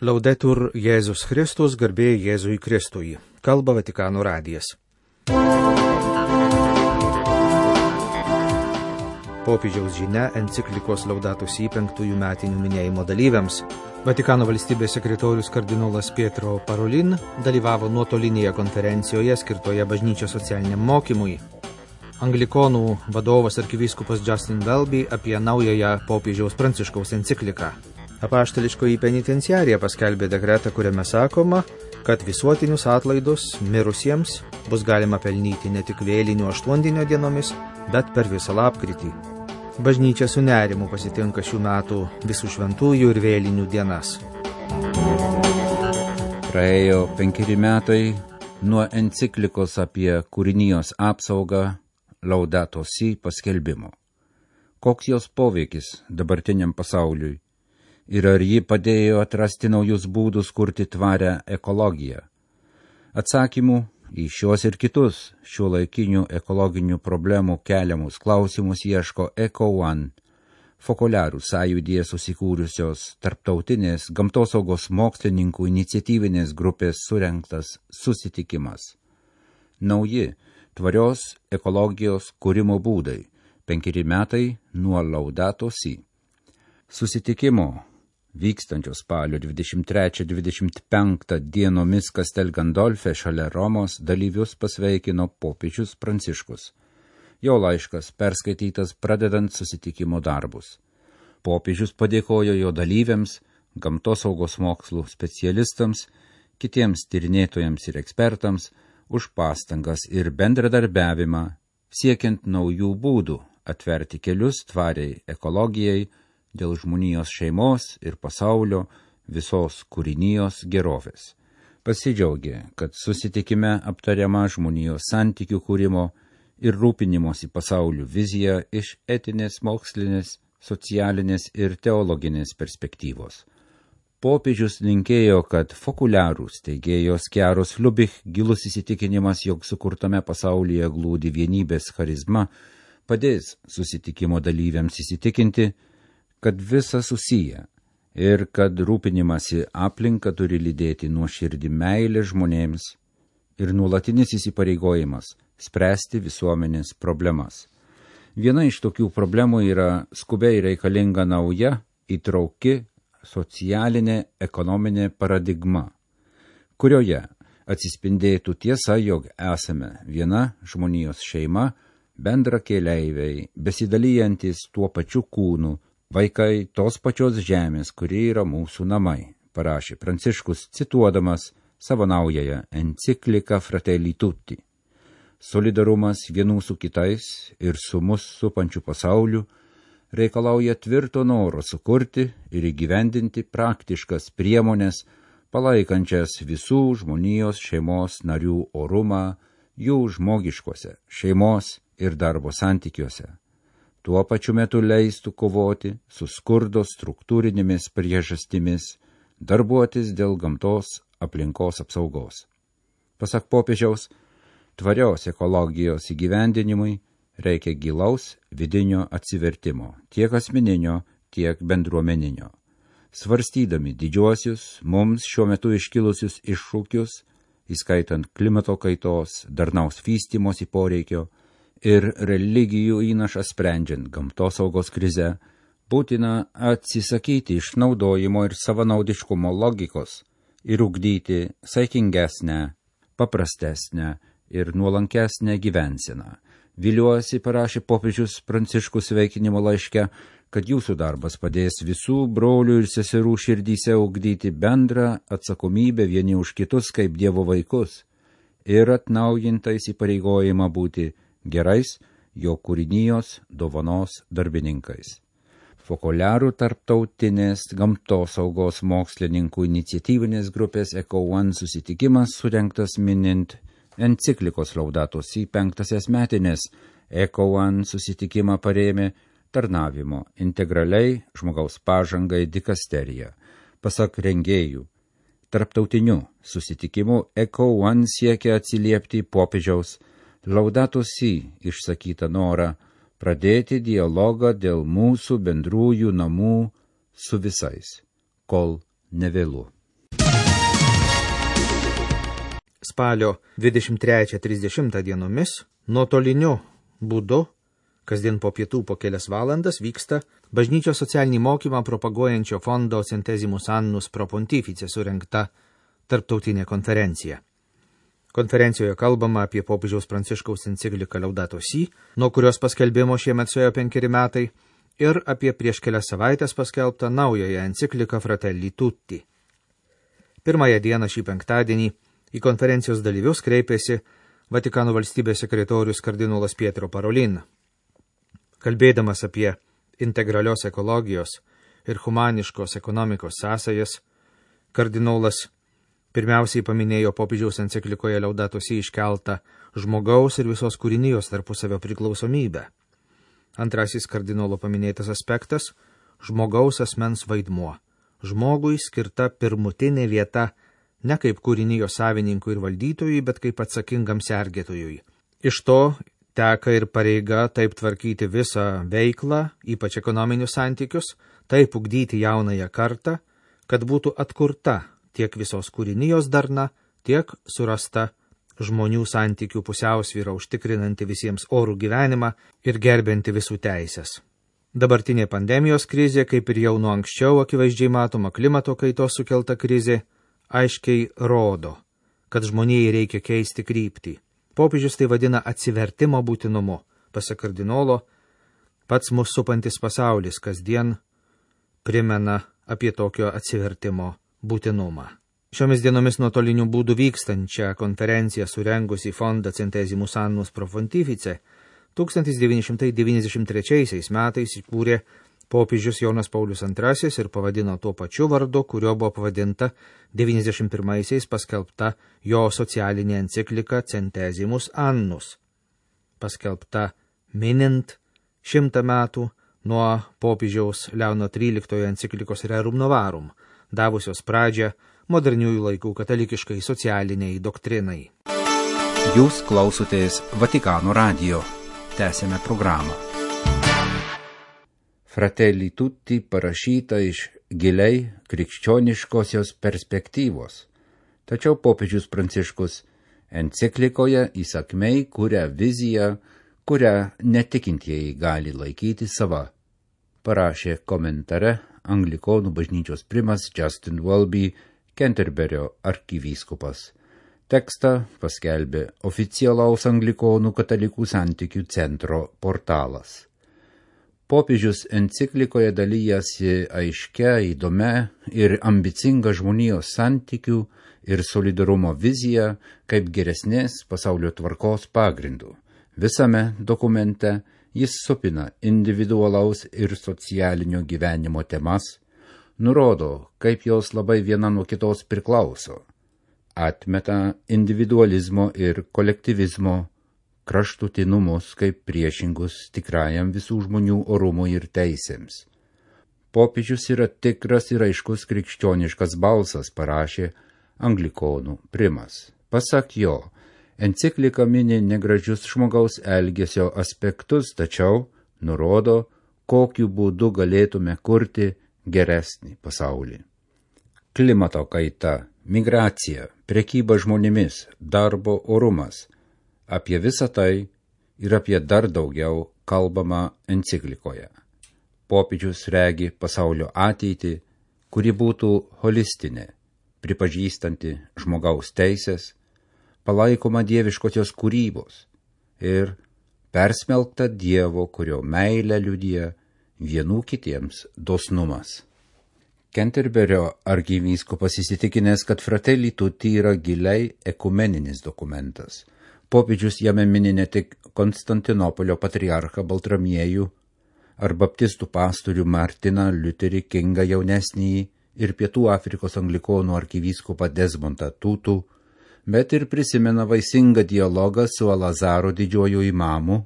Laudetur Jėzus Kristus, garbė Jėzui Kristui. Kalba Vatikano radijas. Popiežiaus žinia enciklikos Laudato Si 5 metinių minėjimo dalyviams. Vatikano valstybės sekretorius kardinolas Pietro Parolin dalyvavo nuotolinėje konferencijoje skirtoje bažnyčios socialiniam mokymui. Anglikonų vadovas arkivyskupas Justin Welby apie naująją popiežiaus Pranciškaus encikliką. Apaštališkoji penitenciarija paskelbė dekretą, kuriame sakoma, kad visuotinius atlaidus mirusiems bus galima pelnyti ne tik vėlinių 8 dienomis, bet per visą lapkritį. Bažnyčia su nerimu pasitinka šių metų visų šventųjų ir vėlinių dienas. Praėjo 5 metai nuo enciklikos apie kūrinijos apsaugą Laudato Si paskelbimo. Koks jos poveikis dabartiniam pasauliui? Ir ar ji padėjo atrasti naujus būdus kurti tvarę ekologiją? Atsakymų į šios ir kitus šiuolaikinių ekologinių problemų keliamus klausimus ieško EcoOne, Fokoliarų sąjūdyje susikūrusios tarptautinės gamtosaugos mokslininkų iniciatyvinės grupės surengtas susitikimas. Nauji tvarios ekologijos kūrimo būdai. 5 metai nuo Laudato Si. Susitikimo vykstančio spalio 23-25 dienomis Castel Gandolfe šalia Romos dalyvius pasveikino popiežius Pranciškus. Jo laiškas perskaitytas pradedant susitikimo darbus. Popiežius padėkojo jo dalyviams, gamtosaugos mokslų specialistams, kitiems tyrinėtojams ir ekspertams už pastangas ir bendradarbiavimą, siekiant naujų būdų atverti kelius tvariai ekologijai, dėl žmonijos šeimos ir pasaulio visos kūrinijos gerovės. Pasidžiaugė, kad susitikime aptariama žmonijos santykių kūrimo ir rūpinimosi pasauliu vizija iš etinės, mokslinės, socialinės ir teologinės perspektyvos. Popiežius linkėjo, kad Fokoliarų steigėjos Chiaros Lubich gilus įsitikinimas, jog sukurtame pasaulyje glūdi vienybės charizma, padės susitikimo dalyviams įsitikinti, kad visa susiję ir kad rūpinimasi aplinka turi lydėti nuoširdį meilę žmonėms ir nuolatinis įsipareigojimas spręsti visuomenės problemas. Viena iš tokių problemų yra skubiai reikalinga nauja, įtrauki socialinė ekonominė paradigma, kurioje atsispindėtų tiesa, jog esame viena žmonijos šeima, bendra keleiviai, besidalyjantis tuo pačiu kūnu, vaikai tos pačios žemės, kuri yra mūsų namai, parašė Pranciškus, cituodamas savo naująją encikliką Fratelli Tutti. Solidarumas vienų su kitais ir su mus supančiu pasauliu reikalauja tvirto noro sukurti ir įgyvendinti praktiškas priemonės, palaikančias visų žmonijos šeimos narių orumą jų žmogiškose šeimos ir darbo santykiuose. Tuo pačiu metu leistų kovoti su skurdo struktūrinėmis priežastimis, darbuotis dėl gamtos aplinkos apsaugos. Pasak popiežiaus, tvarios ekologijos įgyvendinimui reikia gilaus vidinio atsivertimo, tiek asmeninio, tiek bendruomeninio. Svarstydami didžiuosius, mums šiuo metu iškilusius iššūkius, įskaitant klimato kaitos, darnaus vystymosi poreikio, ir religijų įnašą sprendžiant gamtosaugos krizę, būtina atsisakyti išnaudojimo ir savanaudiškumo logikos ir ugdyti saikingesnę, paprastesnę ir nuolankesnę gyvenseną. Viliuosi, parašė popiežius Pranciškus sveikinimo laiške, kad jūsų darbas padės visų brolių ir seserų širdyse ugdyti bendrą atsakomybę vieni už kitus kaip Dievo vaikus ir atnaujintą įsipareigojimą būti gerais jo kūrinijos dovanos darbininkais. Fokoliarų tarptautinės gamtosaugos mokslininkų iniciatyvinės grupės EcoOne susitikimas surengtas minint enciklikos Laudato Si 5 metinės. EcoOne susitikimą parėmė tarnavimo integraliai žmogaus pažangai dikasterija. Pasak rengėjų, tarptautiniu susitikimu EcoOne siekia atsiliepti popiežiaus Laudato Si išsakytą norą pradėti dialogą dėl mūsų bendrųjų namų su visais, kol nevėlu. spalio 23-30 dienomis nuotoliniu būdu, kasdien po pietų po kelias valandas, vyksta bažnyčios socialinį mokymą propaguojančio fondo Centesimus Annus Pro Pontifice surengta tarptautinė konferencija. Konferencijoje kalbama apie popiežiaus Pranciškaus encikliką Laudato Si, nuo kurios paskelbimo šiemet suėjo 5 metai, ir apie prieš kelias savaitės paskelbtą naująją encikliką Fratelli Tutti. Pirmąją dieną šį penktadienį į konferencijos dalyvius kreipėsi Vatikano valstybės sekretorius kardinolas Pietro Parolin. Kalbėdamas apie integralios ekologijos ir humaniškos ekonomikos sąsajas, kardinolas pirmiausiai paminėjo popiežiaus enciklikoje Laudato Si iškeltą žmogaus ir visos kūrinijos tarpusavio priklausomybę. Antrasis kardinolo paminėtas aspektas – žmogaus asmens vaidmuo. Žmogui skirta pirmutinė vieta ne kaip kūrinijos savininkui ir valdytojui, bet kaip atsakingam sergėtojui. Iš to teka ir pareiga taip tvarkyti visą veiklą, ypač ekonominius santykius, taip ugdyti jaunąją kartą, kad būtų atkurta tiek visos kūrinijos darna, tiek surasta žmonių santykių pusiausvyrą užtikrinanti visiems orų gyvenimą ir gerbinti visų teisės. Dabartinė pandemijos krizė, kaip ir jau nuo anksčiau akivaizdžiai matoma klimato kaitos sukelta krizė, aiškiai rodo, kad žmonijai reikia keisti kryptį. Popiežius tai vadina atsivertimo būtinumu. Pasak kardinolo, pats mus supantis pasaulis kasdien primena apie tokio atsivertimo būtinumą. Šiomis dienomis nuotoliniu būdu vykstančią konferenciją surengusi fondą Centesimus Annus Pro Pontifice 1993 metais įkūrė popiežius Jonas Paulius II ir pavadino tuo pačiu vardu, kurio buvo pavadinta 91-aisiais paskelbta jo socialinė enciklika Centesimus Annus, paskelbta minint 100 metų nuo popiežiaus Leono XIII enciklikos Rerum Novarum, davusios pradžią moderniųjų laikų katalikiškai socialiniai doktrinai. Jūs klausotės Vatikano radijo. Tęsėme programą. Fratelli Tutti parašyta iš giliai krikščioniškosios perspektyvos. Tačiau popiežius Pranciškus enciklikoje įsakmiai kuria viziją, kurią netikintieji gali laikyti sava. Parašė komentare Anglikonų bažnyčios primas Justin Welby, Kenterberio arkivyskupas. Tekstą paskelbė oficialaus Anglikonų katalikų santykių centro portalas. Popiežius enciklikoje dalyjasi aiškia, įdomia ir ambicinga žmonijos santykių ir solidarumo vizija kaip geresnės pasaulio tvarkos pagrindų. Visame dokumente jis supina individualaus ir socialinio gyvenimo temas, nurodo, kaip jos labai viena nuo kitos priklauso, atmeta individualizmo ir kolektyvizmo kraštutinumus kaip priešingus tikrajam visų žmonių orumui ir teisėms. Popiežius yra tikras ir aiškus krikščioniškas balsas, parašė Anglikonų primas. Pasak jo, enciklika mini negražius žmogaus elgesio aspektus, tačiau nurodo, kokiu būdu galėtume kurti geresnį pasaulį. Klimato kaita, migracija, prekyba žmonėmis, darbo orumas. Apie visą tai ir apie dar daugiau kalbama enciklikoje. Popiežius regi pasaulio ateitį, kuri būtų holistinė, pripažįstanti žmogaus teisės, palaikoma dieviškosios kūrybos ir persmelkta Dievo, kurio meilę liudija vienų kitiems dosnumas. Kenterberio arkivyskupas įsitikinęs, kad Fratelli Tutti yra giliai ekumeninis dokumentas. Popiežius jame mini ne tik Konstantinopolio patriarchą Baltramiejų ar baptistų pastorių Martiną Liuterį Kingą jaunesnįjį ir Pietų Afrikos anglikonų arkivyskupą Desmondą Tutų, bet ir prisimena vaisingą dialogą su Alazaro didžiuoju imamu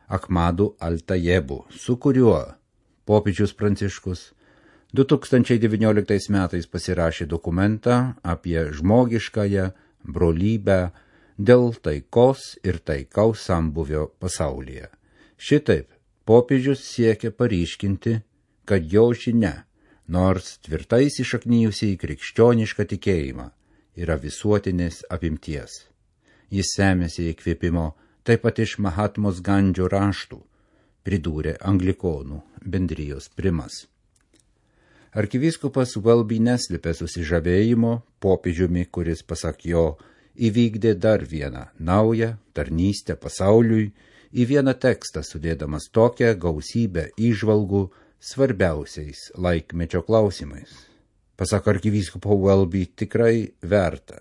Ahmadu Al-Tajebu, su kuriuo popiežius Pranciškus 2019 metais pasirašė dokumentą apie žmogiškąją brolybę dėl taikos ir taikaus sambuvio pasaulyje. Šitaip popiežius siekia paryškinti, kad jo žinia, nors tvirtai įsišaknijusi į krikščionišką tikėjimą, yra visuotinės apimties. Jis semėsi įkvėpimo taip pat iš Mahatmos Gandžio raštų, pridūrė anglikonų bendrijos primas. Arkivyskupas Welby neslėpė susižavėjimo popiežiumi, kuris, pasak jo, įvykdė dar vieną naują tarnystę pasauliui, į vieną tekstą sudėdamas tokią gausybę įžvalgų svarbiausiais laikmečio klausimais. Pasak arkivyskupo Welby, tikrai verta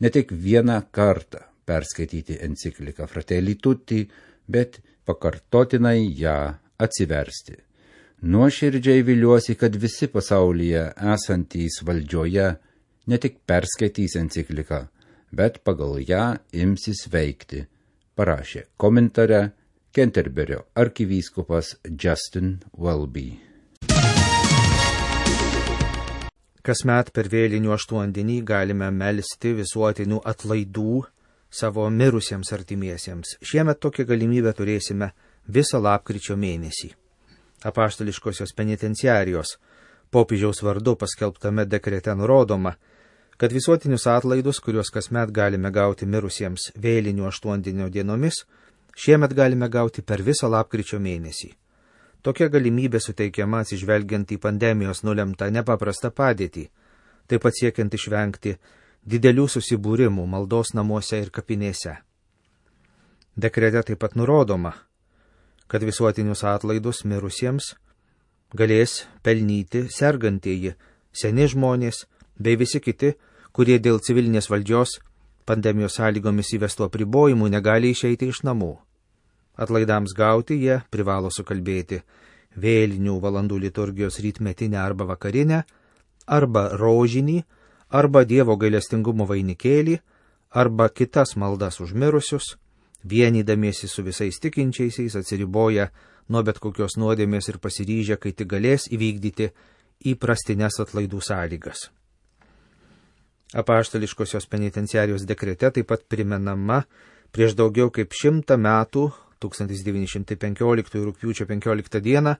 ne tik vieną kartą perskaityti encikliką Fratelli Tutti, bet pakartotinai ją atsiversti. Nuoširdžiai viliuosi, kad visi pasaulyje esantys valdžioje ne tik perskaitys encikliką, bet pagal ją imsis veikti, parašė komentare Kenterberio arkivyskupas Justin Welby. Kasmet per vėlinių aštuondienį galime melsti visuotinių atlaidų savo mirusiems artimiesiems. Šiemet tokią galimybę turėsime visą lapkričio mėnesį. Apaštališkosios penitenciarijos popiežiaus vardu paskelbtame dekrete nurodoma, kad visuotinius atlaidus, kuriuos kasmet galime gauti mirusiems vėlinių aštuondienio dienomis, šiemet galime gauti per visą lapkričio mėnesį. Tokia galimybė suteikiama atsižvelgiant į pandemijos nulemtą nepaprastą padėtį, taip pat siekiant išvengti didelių susibūrimų maldos namuose ir kapinėse. Dekrete taip pat nurodoma, kad visuotinius atlaidus mirusiems galės pelnyti sergantieji, seni žmonės bei visi kiti, kurie dėl civilinės valdžios pandemijos sąlygomis įvestų apribojimų negali išeiti iš namų. Atlaidams gauti jie privalo sukalbėti vėlinių valandų liturgijos rytmetinę arba vakarinę, arba rožinį, arba Dievo gailestingumo vainikėlį, arba kitas maldas už mirusius, vienydamiesi su visais tikinčiaisiais, atsiriboja nuo bet kokios nuodėmės ir pasiryžę, kai tik galės įvykdyti įprastines atlaidų sąlygas. Apaštališkosios penitenciarijos dekrete taip pat primenama prieš daugiau kaip 100 metų, 1915 rugpjūčio 15 dieną,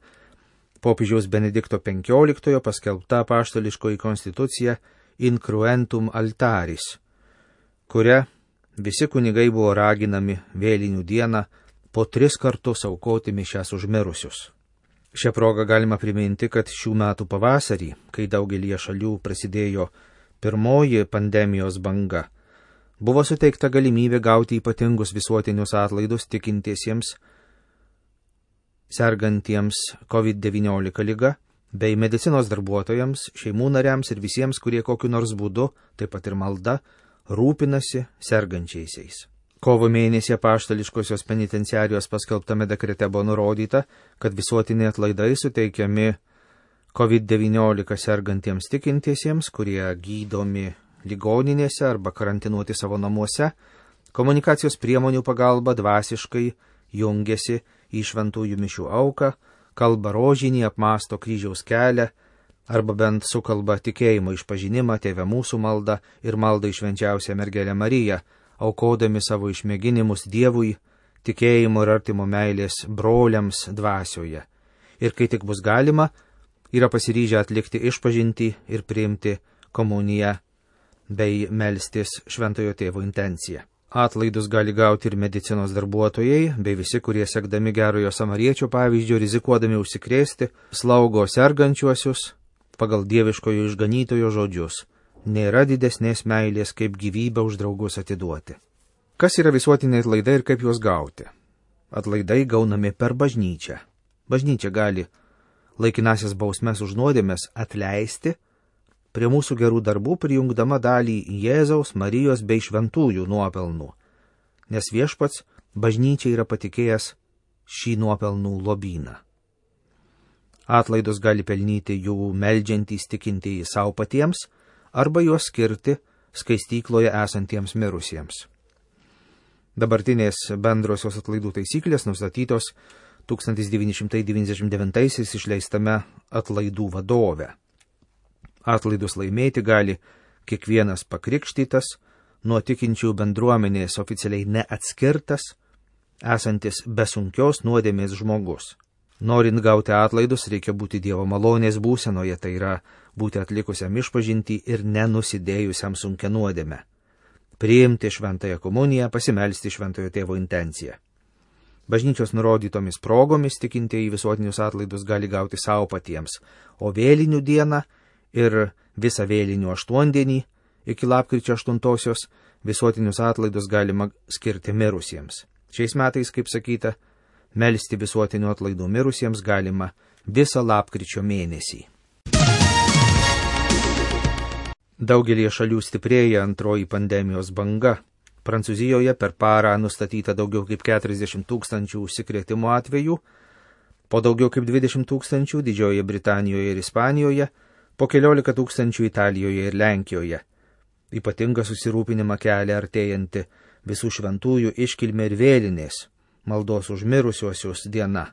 popiežiaus Benedikto XV paskelbta apaštališkoji konstitucija Incruentum Altaris, kuria visi kunigai buvo raginami vėlinių dieną po 3 kartus aukoti mišias už mirusius. Šią progą galima priminti, kad šių metų pavasarį, kai daugelie šalių prasidėjo pirmoji pandemijos banga, buvo suteikta galimybė gauti ypatingus visuotinius atlaidus tikintiesiems, sergantiems COVID-19 liga, bei medicinos darbuotojams, šeimų nariams ir visiems, kurie kokiu nors būdu, taip pat ir malda, rūpinasi sergančiaisiais. Kovo mėnesį apaštališkosios penitenciarijos paskelbtame dekrete buvo nurodyta, kad visuotiniai atlaidai suteikiami COVID-19 sergantiems tikintiesiems, kurie gydomi ligoninėse arba karantinuoti savo namuose, komunikacijos priemonių pagalba dvasiškai jungiasi į šventųjų mišių auką, kalba rožinį, apmąsto kryžiaus kelią, arba bent sukalba tikėjimo išpažinimą, Tėve mūsų maldą ir maldą į švenčiausią mergelę Mariją, aukodami savo išmėginimus Dievui, tikėjimo ir artimo meilės broliams dvasioje. Ir kai tik bus galima, yra pasiryžę atlikti išpažintį ir priimti komuniją bei melstis šventojo tėvo intenciją. Atlaidus gali gauti ir medicinos darbuotojai, bei visi, kurie sekdami gerojo samariečio pavyzdžio, rizikuodami užsikrėsti, slaugo sergančiuosius pagal dieviškojo išganytojo žodžius. Nėra didesnės meilės, kaip gyvybę už draugus atiduoti. Kas yra visuotiniai atlaidai ir kaip juos gauti? Atlaidai gaunami per bažnyčią. Bažnyčia gali laikinasias bausmes už nuodėmes atleisti, prie mūsų gerų darbų prijungdama dalį Jėzaus, Marijos bei šventųjų nuopelnų, nes viešpats bažnyčiai yra patikėjęs šį nuopelnų lobyną. Atlaidus gali pelnyti jų meldžiantys tikintieji savo patiems arba juos skirti skaistykloje esantiems mirusiems. Dabartinės bendrosios atlaidų taisyklės nustatytos 1999 išleistame atlaidų vadove. Atlaidus laimėti gali kiekvienas pakrikštytas, nuo tikinčių bendruomenės oficialiai neatskirtas, esantis be sunkios nuodėmės žmogus. Norint gauti atlaidus, reikia būti Dievo malonės būsenoje, tai yra būti atlikusiam išpažintį ir nenusidėjusiam sunkia nuodėme, priimti šventąją komuniją, pasimelsti šventojo tėvo intenciją. Bažnyčios nurodytomis progomis tikintieji visuotinius atlaidus gali gauti savo patiems, o vėlinių dieną ir visą vėlinių aštuondienį iki lapkričio 8 visuotinius atlaidus galima skirti mirusiems. Šiais metais, kaip sakyta, melsti visuotinių atlaidų mirusiems galima visą lapkričio mėnesį. Daugelie šalių stiprėja antroji pandemijos banga. Prancūzijoje per parą nustatyta daugiau kaip 40 000 užsikrėtimo atvejų, po daugiau kaip 20 000 Didžiojoje Britanijoje ir Ispanijoje, po 14 000 Italijoje ir Lenkijoje. Ypatingą susirūpinimą kelia artėjanti visų šventųjų iškilmė ir vėlinės, maldos už mirusiuosius diena,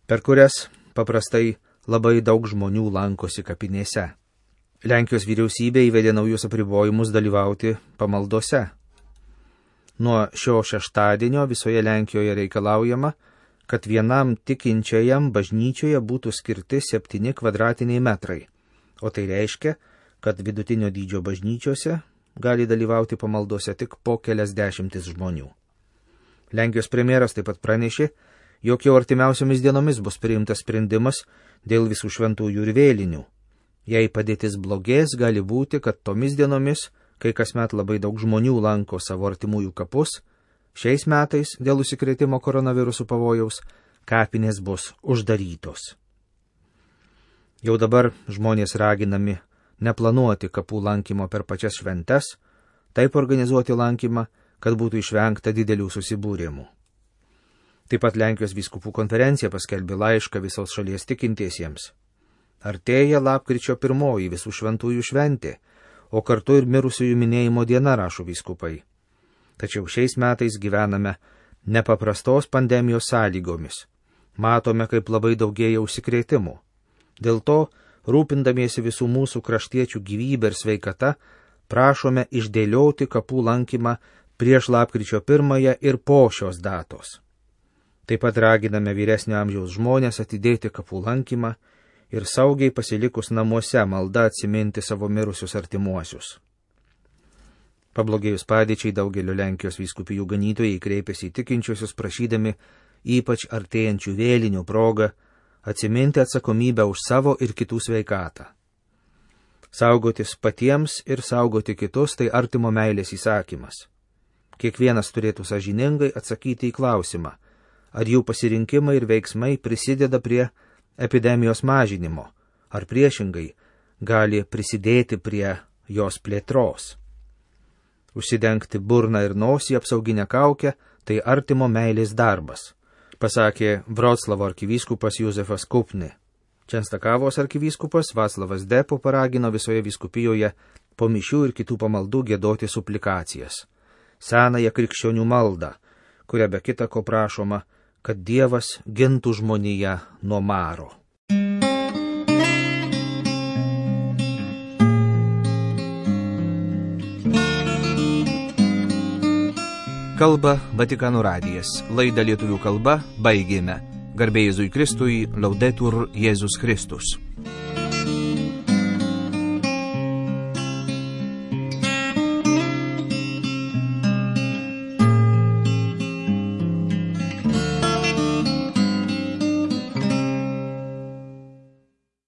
per kurias paprastai labai daug žmonių lankosi kapinėse. Lenkijos vyriausybė įvedė naujus apribojimus dalyvauti pamaldose. Nuo šio šeštadienio visoje Lenkijoje reikalaujama, kad vienam tikinčiajam bažnyčioje būtų skirti 7 kvadratiniai metrai, o tai reiškia, kad vidutinio dydžio bažnyčiose gali dalyvauti pamaldose tik po keliasdešimtis žmonių. Lenkijos premjeras taip pat pranešė, jog jau artimiausiomis dienomis bus priimtas sprendimas dėl visų šventųjų ir vėlinių. Jei padėtis blogės, gali būti, kad tomis dienomis, kai kasmet labai daug žmonių lanko savo artimųjų kapus, šiais metais dėl užsikrėtimo koronavirusų pavojaus kapinės bus uždarytos. Jau dabar žmonės raginami neplanuoti kapų lankymo per pačias šventes, taip organizuoti lankymą, kad būtų išvengta didelių susibūrimų. Taip pat Lenkijos vyskupų konferencija paskelbė laišką visos šalies tikintiesiems. Artėja lapkričio 1 visų šventųjų šventė, o kartu ir mirusiųjų minėjimo diena, rašo vyskupai. Tačiau šiais metais gyvename nepaprastos pandemijos sąlygomis. Matome, kaip labai daugėja užsikrėtimų. Dėl to, rūpindamiesi visų mūsų kraštiečių gyvybę ir sveikata, prašome išdėlioti kapų lankymą prieš lapkričio 1 ir po šios datos. Taip pat raginame vyresnio amžiaus žmonės atidėti kapų lankymą ir saugiai pasilikus namuose malda atsiminti savo mirusius artimuosius. Pablogėjus padėčiai daugelio Lenkijos vyskupijų ganytojai kreipėsi į tikinčiuosius prašydami ypač artėjančių vėlinių progą atsiminti atsakomybę už savo ir kitų sveikatą. Saugotis patiems ir saugoti kitus tai artimo meilės įsakymas. Kiekvienas turėtų sąžiningai atsakyti į klausimą, ar jų pasirinkimai ir veiksmai prisideda prie epidemijos mažinimo, ar priešingai gali prisidėti prie jos plėtros. Užsidengti burną ir nosį apsauginę kaukę tai artimo meilės darbas, pasakė Vroclavo arkivyskupas Józefas Kupni. Čenstakavos arkivyskupas Vaclavas Depo paragino visoje vyskupijoje po mišių ir kitų pamaldų giedoti suplikacijas, senąją krikščionių maldą, kuria be kita ko prašoma, kad Dievas gintų žmoniją nuo maro. Kalba Vatikano radijas. Laidą lietuvių kalba baigėme. Garbė Jėzui Kristui, Laudetur Jėzus Kristus.